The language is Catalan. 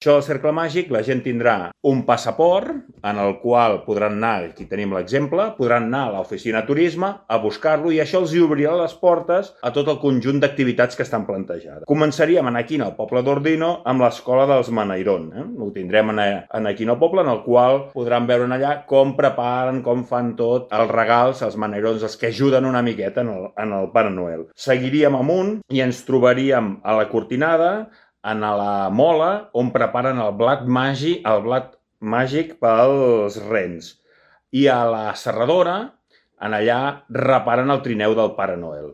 Això del cercle màgic, la gent tindrà un passaport en el qual podran anar, aquí tenim l'exemple, podran anar a l'oficina de turisme a buscar-lo i això els obrirà les portes a tot el conjunt d'activitats que estan plantejades. Començaríem aquí al poble d'Ordino amb l'escola dels Manairon. Ho tindrem aquí al poble, en el qual podran veure allà com preparen, com fan tot, els regals, els Manairons, els que ajuden una miqueta en el Pare Noel. Seguiríem amunt i ens trobaríem a la Cortinada, a la Mola, on preparen el blat màgic pels rens. I a la Serradora, allà reparen el trineu del Pare Noel.